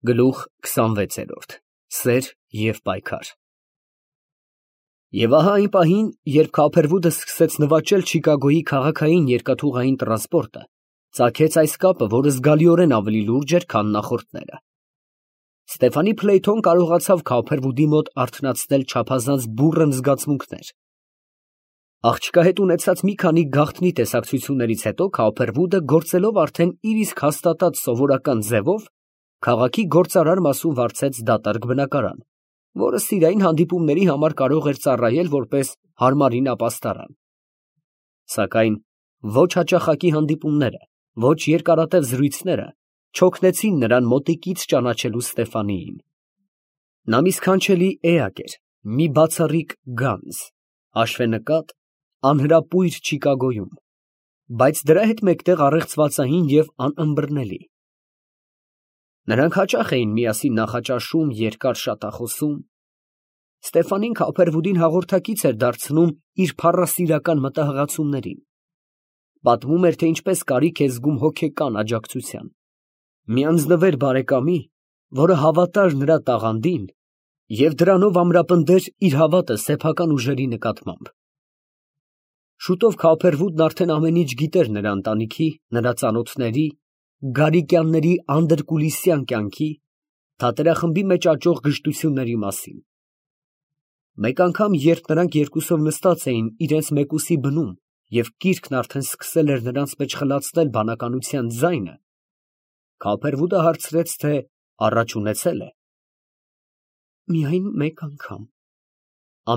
Գլուխ 26 Սեր և պայքար։ Եվ ահա այն պահին, երբ Քափերվուդը սկսեց նվաճել Չիկագոյի քաղաքային երկաթուղային տրանսպորտը, ծագեց այս կապը, որը զգալիորեն ավելի լուրջ էր, քան նախորդները։ Ստեֆանի Փլեյթոն կարողացավ Քափերվուդի մոտ արթնացնել չափազանց բուռն զգացմունքներ։ Աղջկա հետ ունեցած մի քանի գաղտնի տեսակցություններից հետո Քափերվուդը գործելով արդեն իր իսկ հաստատած սովորական ձևով քաղաքի գործարար մասում վարձեց դատարկ բնակարան, որը սիրային հանդիպումների համար կարող էր ծառայել որպես հարմարին ապաստարան։ Սակայն ոչ հաճախակի հանդիպումները, ոչ երկարատև զրույցները չօգնեցին նրան մոտիկից ճանաչելու Ստեֆանիին։ Նա մի սքանչելի էակ էր, մի բացառիկ գանձ, հաշվենկատ, անհրապույր Չիկագոյում, բայց դրա հետ մեկտեղ առեղծվածային և անըմբռնելի։ Նրանք հաճախ էին միասին նախաճաշում, երկար շատախոսում։ Ստեֆանին Քափերվուդին հաղորդակից էր դարձնում իր փառասիրական մտահղացումներին։ Պատմում էր, թե ինչպես կարիք է զգում հոգեկան աջակցության, մի անձնվեր բարեկամի, որը հավատար նրա տաղանդին և դրանով ամրապնդեր իր հավատը սեփական ուժերի նկատմամբ։ Շուտով Քափերվուդն արդեն ամեն ինչ գիտեր նրա ընտանիքի, նրա ծանոթների, Գարիկյանների անդրկուլիսյան կյանքի, թատերախմբի մեջ աճող գժտությունների մասին։ Մեկ անգամ, երբ նրանք երկուսով նստած էին իրենց մեկուսի բնում և կիրքն արդեն սկսել էր նրանց մեջ խլացնել բանականության ձայնը, Քափերվուդը հարցրեց, թե առաջ ունեցե՞լ է։ Միայն մեկ անգամ,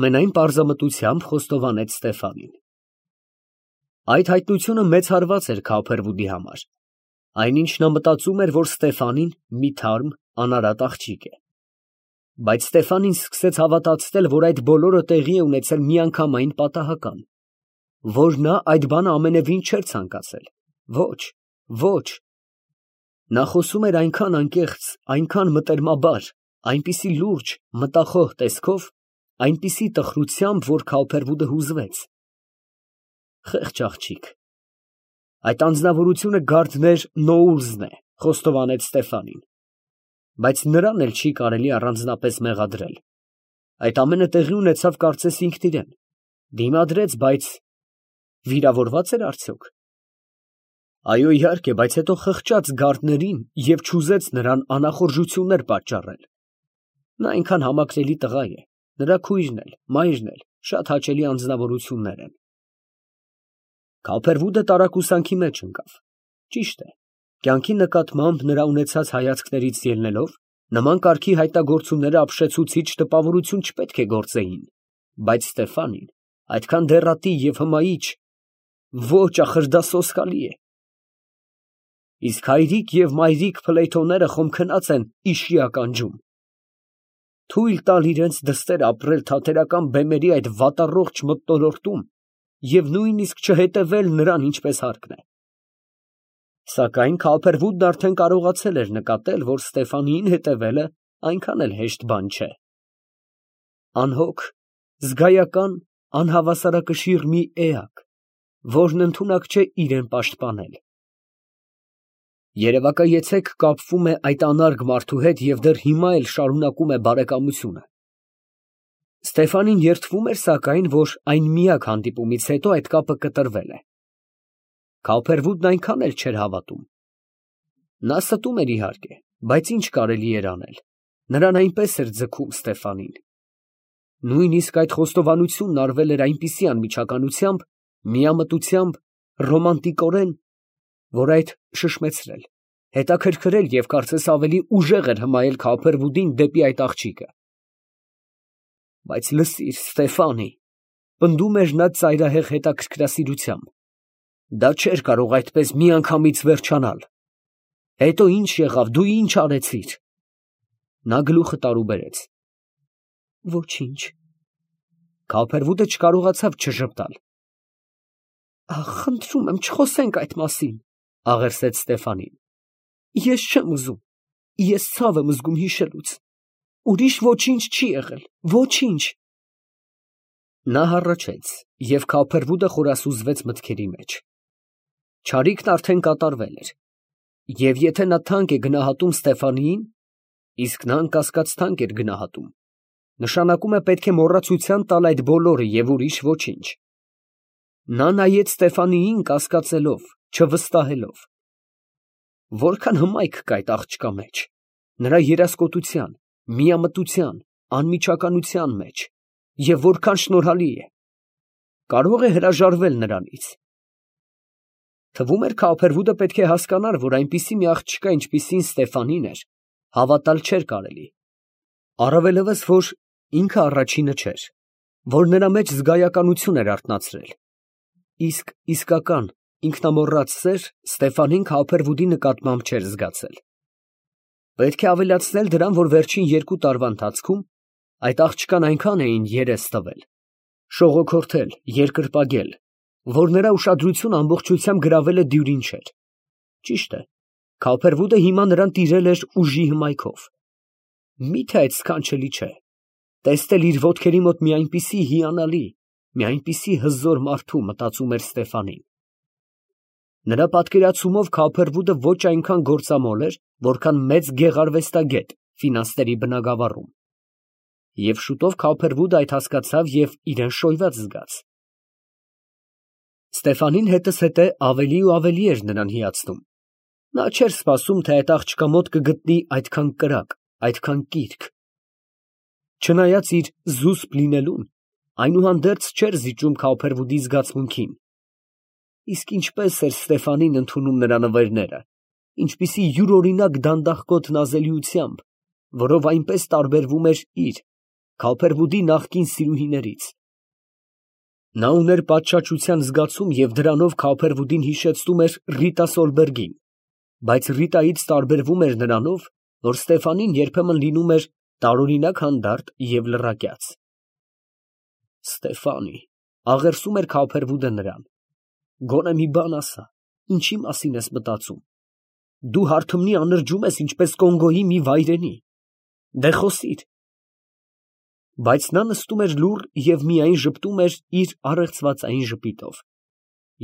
ամենայն պարզամտությամբ խոստովանեց Ստեֆանին։ Այդ հայտնությունը մեծ հարված էր Քափերվուդի համար։ Այնինչ նա մտածում էր, որ Ստեֆանին մի թարմ, անարատ աղջիկ է։ Բայց Ստեֆանին սկսեց հավատացնել, որ այդ բոլորը տեղի է ունեցել միանգամայն պատահական, որ նա այդ բանը ամենևին չէր ցանկացել։ Ոչ, ոչ։ Նա խոսում էր այնքան անկեղծ, այնքան մտերմաբար, այնպիսի լուրջ, մտախոհ տեսքով, այնպիսի տխրությամբ, որ Քափերվուդը հուզվեց։ Խեղճ աղջիկ։ Այդ անձնավորությունը Գարդներ Նոուլզն է, խոստովանեց Ստեֆանին, բայց նրան էլ չի կարելի առանձնապես մեղադրել։ Այդ ամենը տեղի ունեցավ կարծես ինքն իրեն, դիմադրեց, բայց վիրավորվա՞ծ էր արդյոք։ Այո, իհարկե, բայց հետո խղճաց Գարդներին և չուզեց նրան անախորժություններ պատճառել։ Նա այնքան համակրելի տղա է, նրա քույրն էլ, մայրն էլ շատ հաճելի անձնավորություններ են։ Քափերվուդը տարակուսանքի մեջ ընկավ։ Ճիշտ է, կյանքի նկատմամբ նրա ունեցած հայացքներից ելնելով, նման կարգի հայտնագործումները ապշեցուցիչ տպավորություն չպետք է գործեին, բայց Ստեֆանին այդքան դեռատի և հմայիչ, ոչ, ախր դա սոսկալի է։ Իսկ հայրիկ և մայրիկ Փլեյթոները խոմ քնած են իշի ականջում։ Թույլ տալ իրենց դստեր ապրել թատերական բեմերի այդ վատառողջ մթնոլորտում և նույնիսկ չհետևել նրան ինչպես հարկն է։ Սակայն Քափերվուդն արդեն կարողացել էր նկատել, որ Ստեֆանիին հետևելը այնքան էլ հեշտ բան չէ։ Անհոգ, զգայական, անհավասարակշիռ մի էակ, որն ընդունակ չէ իրան պաշտպանել։ Երևակայեցեք կապվում է այդ անարգ մարդու հետ և դեռ հիմա էլ շարունակում է բարեկամությունը։ Ստեֆանին երդվում էր, սակայն, որ այն միակ հանդիպումից հետո այդ կապը կտրվել է։ Քափերվուդն այնքան էլ չէր հավատում։ Նա ստում էր իհարկե, բայց ինչ կարելի էր անել, նրան այնպես էր ձգում Ստեֆանին։ Նույնիսկ այդ խոստովանությունն արվել էր այնպիսի անմիջականությամբ, միամտությամբ, ռոմանտիկորեն, որ այդ շշմեցրել, հետաքրքրել և կարծես ավելի ուժեղ էր հմայել Քափերվուդին դեպի այդ աղջիկը։ Բայց լսիր, Ստեֆանի, պնդում էր նա ծայրահեղ հետաքրքրասիրությամբ, դա չէր կարող այդպես միանգամից վերջանալ։ Հետո ինչ եղավ, դու ինչ արեցիր։ Նա գլուխը տարուբերեց։ Ոչինչ։ Քափերվուդը չկարողացավ չժպտալ։ Խնդրում եմ, չխոսենք այդ մասին, աղերսեց Ստեֆանին։ Ես չեմ ուզում, ես ցավ եմ զգում հիշելուց։ Ուրիշ ոչինչ չի եղել, ոչինչ։ Նա հառաչեց, և Քափերվուդը խորասուզվեց մտքերի մեջ։ Չարիքն արդեն կատարվել էր, և եթե նա թանկ է գնահատում Ստեֆանիին, իսկ նա անկասկած թանկ էր գնահատում։ Նշանակում է պետք է մոռացության տալ այդ բոլորը և ուրիշ ոչինչ։ Նա նայեց Ստեֆանիին կասկածելով, չվստահելով։ Որքան հմայք կա այդ աղջկա մեջ, նրա երասկոտության, միամտության, անմիջականության մեջ, և որքան շնորհալի է, կարող է հրաժարվել նրանից։ Թվում էր Քափերվուդը պետք է հասկանար, որ այնպիսի մի աղջկա, ինչպիսին Ստեֆանին էր, հավատալ չէր կարելի։ Առավելևս, որ ինքը առաջինը չէր, որ նրա մեջ զգայականություն էր արթնացրել։ Իսկ իսկական ինքնամոռաց սեր Ստեֆանին Քափերվուդի նկատմամբ չէր զգացել։ Պետք է ավելացնել դրան, որ վերջին 2 տարվա ընթացքում այդ աղջկան այնքան էին երես տվել, շողոքորթել, երկրպագել, որ նրա ուշադրությունը ամբողջությամբ գրավել է Դյուրինչեր։ Ճիշտ է, Քափերվուդը հիմա նրան տիրել էր ուժի հմայքով։ Մի՞թե այդ սքանչելի չէ, տեսնել իր ոտքերի մոտ մի այնպիսի հիանալի, մի այնպիսի հզոր մարդու, մտածում էր Ստեֆանին։ Նրա պատկերացումով Քափերվուդը ոչ այնքան գործամոլ էր, որքան մեծ գեղարվեստագետ ֆինանսների բնագավառում։ Եվ շուտով Քափերվուդը այդ հասկացավ և իրան շոյված զգաց։ Ստեֆանին հետզհետե ավելի ու ավելի էր նրան հիացնում։ Նա չէր սպասում, թե այդ աղջկա մոտ կգտնի այդքան կրակ, այդքան կիրք։ Չնայած իր զուսպ լինելուն, այնուհանդերձ չէր զիջում Քափերվուդի զգացմունքին։ Իսկ ինչպես էր Ստեֆանին ընդունում նրա նվերները, ինչպիսի յուրօրինակ դանդաղկոտ նազելիությամբ, որով այնպես տարբերվում էր իր, Քափերվուդի նախկին սիրուհիներից։ Նա ուներ պատշաճության զգացում և դրանով Քափերվուդին հիշեցնում էր Ռիտա Սոլբերգին, բայց Ռիտայից տարբերվում էր նրանով, որ Ստեֆանին երբեմն լինում էր տարօրինակ հանդարտ և լռակյաց։ Ստեֆանի, աղերսում էր Քափերվուդը նրան, գոնե մի բան ասա, ինչի մասին ես մտածում։ Դու հարթմնի անրջում ես, ինչպես Կոնգոյի մի վայրենի։ Դե խոսիր։ Բայց նա նստում էր լուռ և միայն ժպտում էր իր առեղծվածային ժպիտով,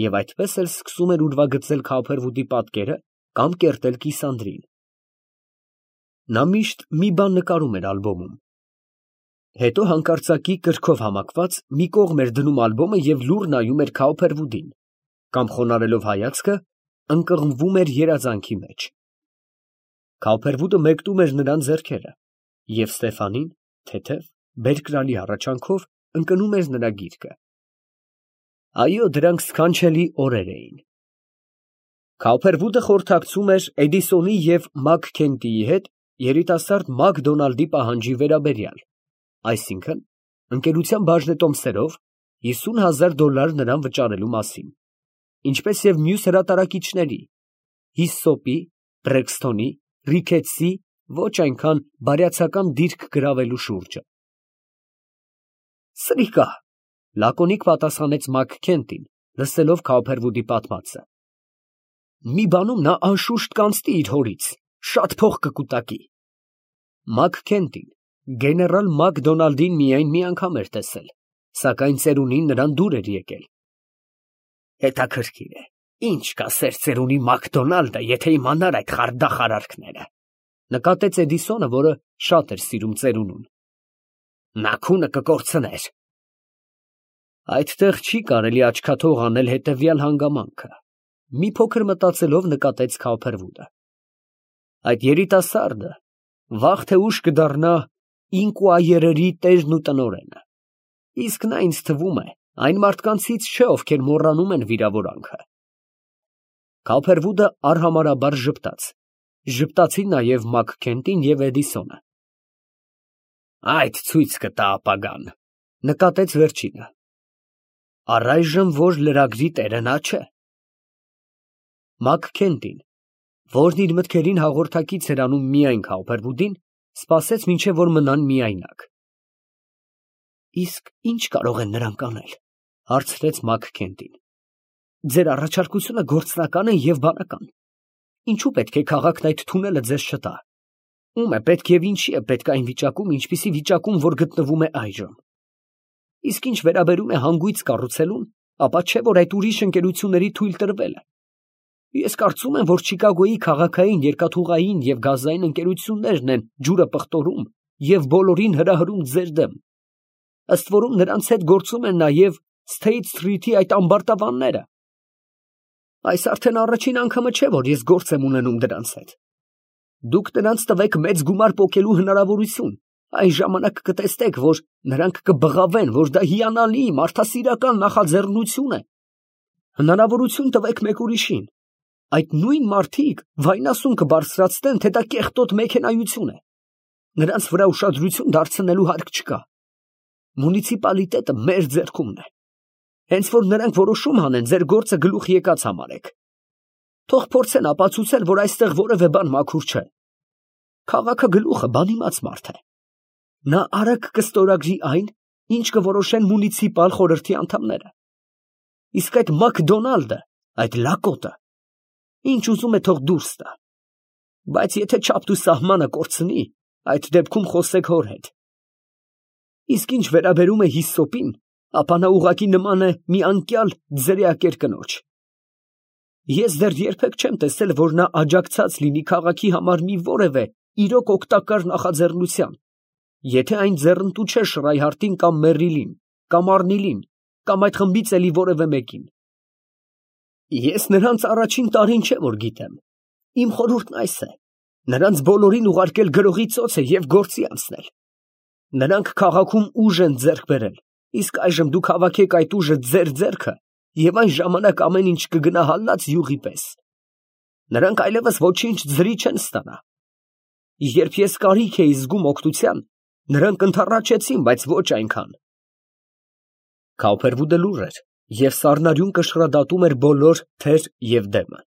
և այդպես էլ սկսում էր ուրվագծել Քափերվուդի պատկերը կամ կերտել կիսանդրին։ Նա միշտ մի բան նկարում էր ալբոմում։ Հետո հանկարծակի կրքով համակված մի կողմ էր դնում ալբոմը և լուռ նայում էր Քափերվուդին, կամ խոնարհելով հայացքը ընկղմվում էր երազանքի մեջ։ Քափերվուդը մեկնում էր նրան ձեռքերը, և Ստեֆանին թեթև, բերկրալի հառաչանքով ընկնում էր նրա գիրկը։ Այո, դրանք սքանչելի օրեր էին։ Քափերվուդը խորհրդակցում էր Էդիսոնի և Մաքքենթիի հետ երիտասարդ Մակդոնալդի պահանջի վերաբերյալ, այսինքն՝ ընկերության բաժնետոմսերով $50,000 նրան վճարելու մասին, ինչպես և մյուս հրատարակիչների՝ Հիսսոպի, Բրեքսթոնի, Ռիքետսի ոչ այնքան բարյացակամ դիրք գրավելու շուրջը։ Սրիկա, լակոնիկ պատասխանեց Մաքքենթին, լսելով Քափերվուդի պատմածը։ Մի բանում նա անշուշտ կանցնի իր հորից, շատ փող կկուտակի։ Մաքքենթին գեներալ Մակդոնալդին միայն մի անգամ էր տեսել, սակայն ծերունին նրան դուր էր եկել։ Հետաքրքիր է, ինչ կասեր ծերունի Մակդոնալդը, եթե իմանար այդ խարդախ արարքները, նկատեց Էդիսոնը, որը շատ էր սիրում ծերունուն։ Նա քունը կկորցներ։ Այդտեղ չի կարելի աչքաթող անել հետևյալ հանգամանքը, մի փոքր մտածելով նկատեց Քափերվուդը։ Այդ երիտասարդը վաղ թե ուշ կդառնա Ինկուայերերի տերն ու տնօրենը, իսկ նա ինձ թվում է այն մարդկանցից չէ, ովքեր մոռանում են վիրավորանքը։ Քափերվուդը արհամարհաբար ժպտաց։ Ժպտացին նաև Մաքքենթին և Էդիսոնը։ Այդ ցույց կտա ապագան, նկատեց վերջինը։ Առայժմ որ լրագրի տերը նա չէ։ Մաքքենթին, որն իր մտքերին հաղորդակից էր անում միայն Քափերվուդին, սպասեց մինչև որ մնան միայնակ։ Իսկ ի՞նչ կարող են նրանք անել, հարցրեց Մաքքենթին։ Ձեր առաջարկությունը գործնական է և բանական։ Ինչու պետք է քաղաքն այդ թունելը ձեզ չտա։ Ում է պետք և ինչի է պետք այն վիճակում, ինչպիսի վիճակում, որ գտնվում է այժմ։ Իսկ ինչ վերաբերում է հանգույց կառուցելուն, ապա չէ որ այդ ուրիշ ընկերությունների թույլ տրվելը։ Ես կարծում եմ, որ Չիկագոյի քաղաքային, երկաթուղային և գազային ընկերություններն են ջուրը պղտորում և բոլորին հրահրում ձեր դեմ։ Ըստ որում նրանց հետ գործում են նաև State Street-ի այդ ամբարտավանները։ Այս արդեն առաջին անգամը չէ, որ ես գործ եմ ունենում դրանց հետ։ Դուք նրանց տվեք մեծ գումար պոկելու հնարավորություն, այն ժամանակ կտեսնեք, որ նրանք կբղավեն, որ դա հիանալի, մարդասիրական նախաձեռնություն է։ Հնարավորություն տվեք մեկ ուրիշին։ Այդ նույն մարդիկ վայնասուն կբարձրացնեն, թե դա կեղտոտ մեքենայություն է։ Նրանց վրա ուշադրություն դարձնելու հարկ չկա։ Մունիցիպալիտետը մեր ձեռքումն է։ Հենց որ նրանք որոշում հանեն, ձեր գործը գլուխ եկած համարեք։ Թող փորձեն ապացուցել, որ այստեղ որևէ բան մաքուր չէ։ Քաղաքը գլուխը բանիմաց մարդ է։ Նա արագ կստորագրի այն, ինչ կորոշեն մունիցիպալ խորհրդի անդամները։ Իսկ այդ Մակդոնալդը, այդ լակոտը, ինչ ուզում է թող դուրս տա։ Բայց եթե չափ ու սահմանը կորցնի, այդ դեպքում խոսեք հոր հետ։ Իսկ ինչ վերաբերում է հիսոպին, ապա նա ուղղակի նման է մի անկյալ ձրիակեր կնոջ։ Ես դեռ երբեք չեմ տեսել, որ նա աջակցած լինի քաղաքի համար մի որևէ իրոք օգտակար նախաձեռնության, եթե այն ձեռնտու չէ Շրայհարտին կամ Մերրիլին, կամ Արնիլին, կամ այդ խմբից էլի որևէ մեկին։ Ես նրանց առաջին տարին չէ որ գիտեմ։ Իմ խորհուրդն այս է. նրանց բոլորին ուղարկել գրողի ծոցը և գործի անցնել։ Նրանք քաղաքում ուժ են ձեռք բերել, իսկ այժմ դուք հավաքեք այդ ուժը ձեր ձեռքը, և այն ժամանակ ամեն ինչ կգնա հալած յուղի պես։ Նրանք այլևս ոչինչ ձրի չեն ստանա։ Երբ ես կարիք էի զգում օգնության, նրանք ընդառաջեցին, բայց ոչ այնքան։ Քաուփերվուդը լուռ էր և սառնարյուն կշռադատում էր բոլոր թեր և դեմը։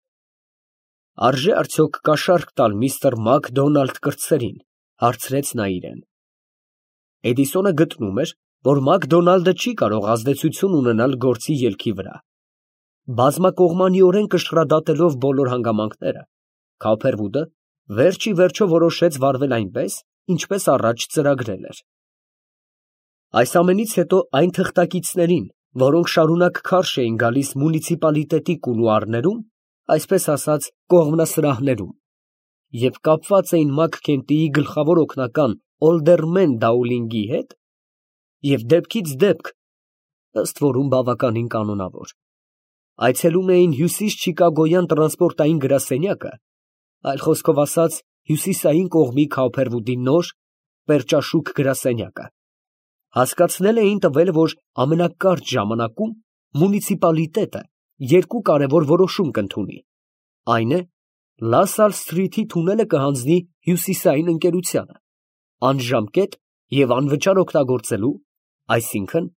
Արժե արդյոք կաշառք տալ միստր Մակդոնալդ կրտսերին, հարցրեց նա իրեն։ Էդիսոնը գտնում էր, որ Մակդոնալդը չի կարող ազդեցություն ունենալ գործի ելքի վրա։ Բազմակողմանիորեն կշռադատելով բոլոր հանգամանքները, Քաուփերվուդը վերջ ի վերջո որոշեց վարվել այնպես, ինչպես առաջ ծրագրել էր։ Այս ամենից հետո այն թղթակիցներին, որոնք շարունակ քարշ էին գալիս մունիցիպալիտետի կուլուարներում, այսպես ասած կողմնասրահներում, և կապված էին Մաքքենթիի գլխավոր օգնական Օլդերմեն Դաուլինգի հետ, և դեպքից դեպք, ըստ որում բավականին կանոնավոր, այցելում էին հյուսիս Չիկագոյան տրանսպորտային գրասենյակը, այլ խոսքով ասած հյուսիսային կողմի Քաուփերվուդի նոր, պերճաշուք գրասենյակը, հասկացնել էին տվել, որ ամենակարճ ժամանակում մունիցիպալիտետը երկու կարևոր որոշում կընդունի, այն է, Լա Սալ Սթրիթի թունելը կհանձնի հյուսիսային ընկերությանը, անժամկետ և անվճար օգտագործելու, այսինքն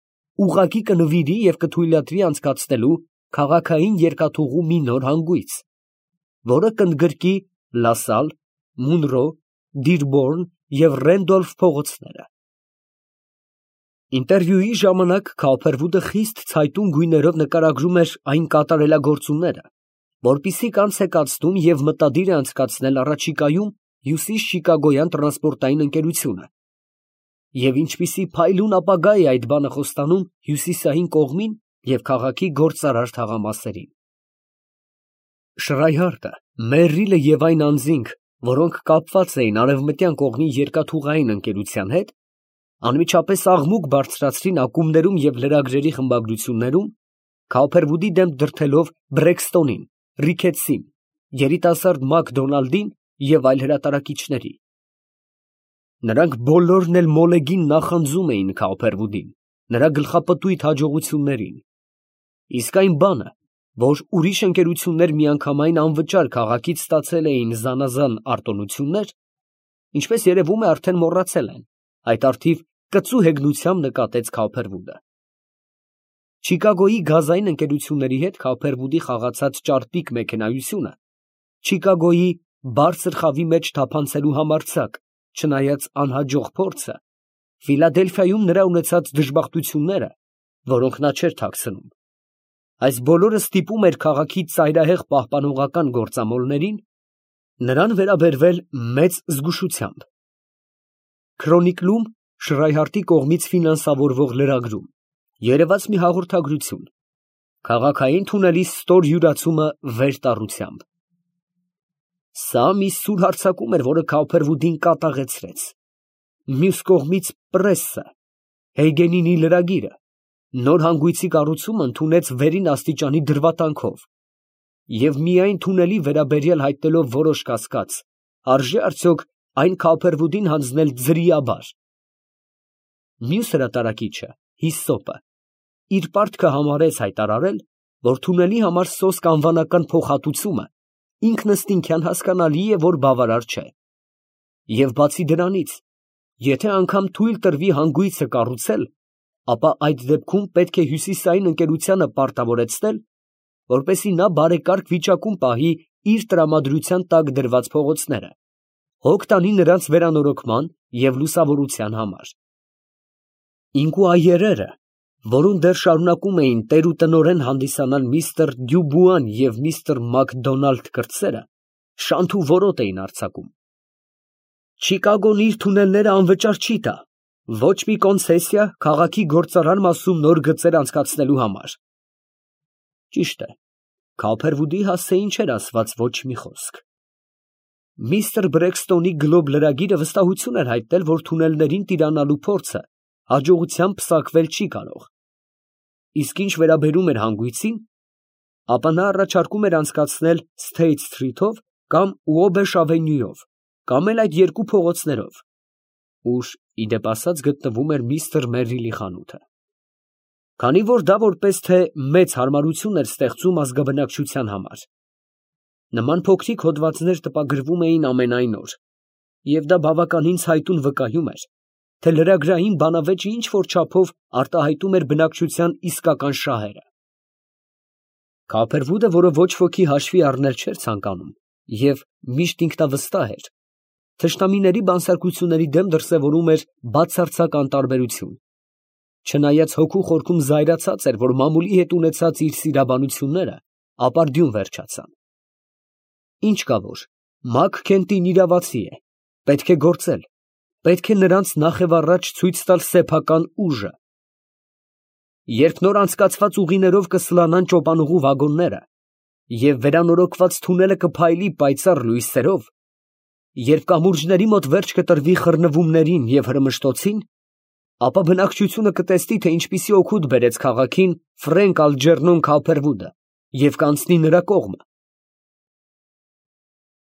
ուղղակի կնվիրի և կթույլատրի անցկացնելու քաղաքային երկաթուղու մի նոր հանգույց, որը կընդգրկի Լա Սալ, Մունրո, Դիրբորն և Ռենդոլֆ փողոցները։ Ինտերվյուի ժամանակ Քաուփերվուդը խիստ ցայտուն գույներով նկարագրում էր այն կատարելագործումները, որպիսի կանց է կացնում և մտադիր է անցկացնել առաջիկայում հյուսիս Չիկագոյան տրանսպորտային ընկերությունը, և ինչպիսի փայլուն ապագա է այդ բանը խոստանում հյուսիսային կողմին և քաղաքի գործարար թաղամասերին։ Շրայհարտը, Մերրիլը և այն անձինք, որոնք կապված էին արևմտյան կողմի երկաթուղային ընկերության հետ, անմիջապես աղմուկ բարձրացրին ակումբներում և լրագրերի խմբագրություններում, Քաուփերվուդի դեմ դրդելով Բրեքստոնին, Ռիքետսին, երիտասարդ Մակդոնալդին և այլ հրատարակիչների։ Նրանք բոլորն էլ մոլեգին նախանձում էին Քաուփերվուդին, նրա գլխապտույտ հաջողություններին։ Իսկ այն բանը, որ ուրիշ ընկերություններ միանգամայն անվճար քաղաքից ստացել էին զանազան արտոնություններ, ինչպես երևում է արդեն մոռացել են, այդ առթիվ կծու հեգնությամբ նկատեց Քաուփերվուդը։ Չիկագոյի գազային ընկերությունների հետ Քաուփերվուդի խաղացած ճարպիկ մեքենայությունը Չիկագոյի բարձր խավի մեջ թափանցելու համարձակ, չնայած անհաջող փորձը, Ֆիլադելֆիայում նրա ունեցած դժբախտությունները, որոնք նա չէր թաքցնում, այս բոլորը ստիպում էր քաղաքի ծայրահեղ պահպանողական գործամոլներին նրան վերաբերվել մեծ զգուշությամբ։ Քրոնիկլում Շրայհարտի կողմից ֆինանսավորվող լրագրում երևաց մի հաղորդագրություն, Քաղաքային թունելի ստոր յուրացումը վերտառությամբ։ Սա մի սուր հարձակում էր, որը Քոփերվուդին կատաղեցրեց։ Մյուս կողմից պրեսը, Հեյգենինի լրագիրը, նոր հանգույցի կառուցումը ընդունեց վերին աստիճանի դրվատանքով, և միայն թունելի վերաբերյալ հայտնելով որոշ կասկած, արժե արդյոք այն Քոփերվուդին հանձնել ձրիաբար։ Մյուս հրատարակիչը, Հիսոպը, իր պարտքը համարեց հայտարարել, որ թունելի համար սոսկ անվանական փոխհատուցումը ինքնըստինքյան հասկանալի է, որ բավարար չէ, և բացի դրանից, եթե անգամ թույլ տրվի հանգույցը կառուցել, ապա այդ դեպքում պետք է հյուսիսային ընկերությանը պարտավորեցնել, որպեսզի նա բարեկարգ վիճակում պահի իր տրամադրության տակ դրված փողոցները, հոգ տանի նրանց վերանորոգման և լուսավորության համար։ Ինկուայերերը, որոնց դեռ շարունակում էին տեր ու տնօրեն հանդիսանալ միստր Դյուբուան և միստր Մակդոնալդ կրտսերը, շանթ ու որոտ էին արձակում։ Չիկագոն իր թունելները անվճար չի տա, ոչ մի կոնցեսիա քաղաքի գործարար մասում նոր գծեր անցկացնելու համար։ Ճիշտ է, Քոփերվուդի հասցեին չէր ասված ոչ մի խոսք։ Միստր Բրեքստոնի գլոբ լրագիրը վստահություն էր հայտնել, որ թունելներին տիրանալու փորձը հաջողությամբ պսակվել չի կարող։ Իսկ ինչ վերաբերում էր հանգույցին, ապա նա առաջարկում էր անցկացնել Սթեյթ Սթրիթով կամ Ուոբեշ ավենյուով, կամ էլ այդ երկու փողոցներով, ուր, ի դեպ ասած, գտնվում էր միստր Մերրիլի խանութը։ Քանի որ դա որպես թե մեծ հարմարություն էր ստեղծում ազգաբնակչության համար։ Նման փոքրիկ հոդվածներ տպագրվում էին ամենայն օր, և դա բավականին ցայտուն վկայում էր, թե լրագրային բանավեճը ինչ որ չափով արտահայտում էր բնակչության իսկական շահերը։ Քոփերվուդը, որը ոչ ոքի հաշվի առնել չէր ցանկանում և միշտ ինքնավստահ էր, թշնամիների բանսարկությունների դեմ դրսևորում էր բացարձակ անտարբերություն, չնայած հոգու խորքում զայրացած էր, որ մամուլի հետ ունեցած իր սիրաբանությունները ապարդյուն վերջացան։ Ինչ կա որ, Մակ Քենտին իրավացի է, պետք է գործել, պետք է նրանց նախևառաջ ցույց տալ սեփական ուժը։ Երբ նոր անցկացված ուղիներով կսլանան ճոպանուղու վագոնները, և վերանորոգված թունելը կփայլի պայծառ լույսերով, երբ կամուրջների մոտ վերջ կտրվի խռնվումներին և հրմշտոցին, ապա բնակչությունը կտեսնի, թե ինչպիսի օգուտ բերեց քաղաքին Ֆրենկ Ալջերնոն Քոփերվուդը և կանցնի նրա կողմը,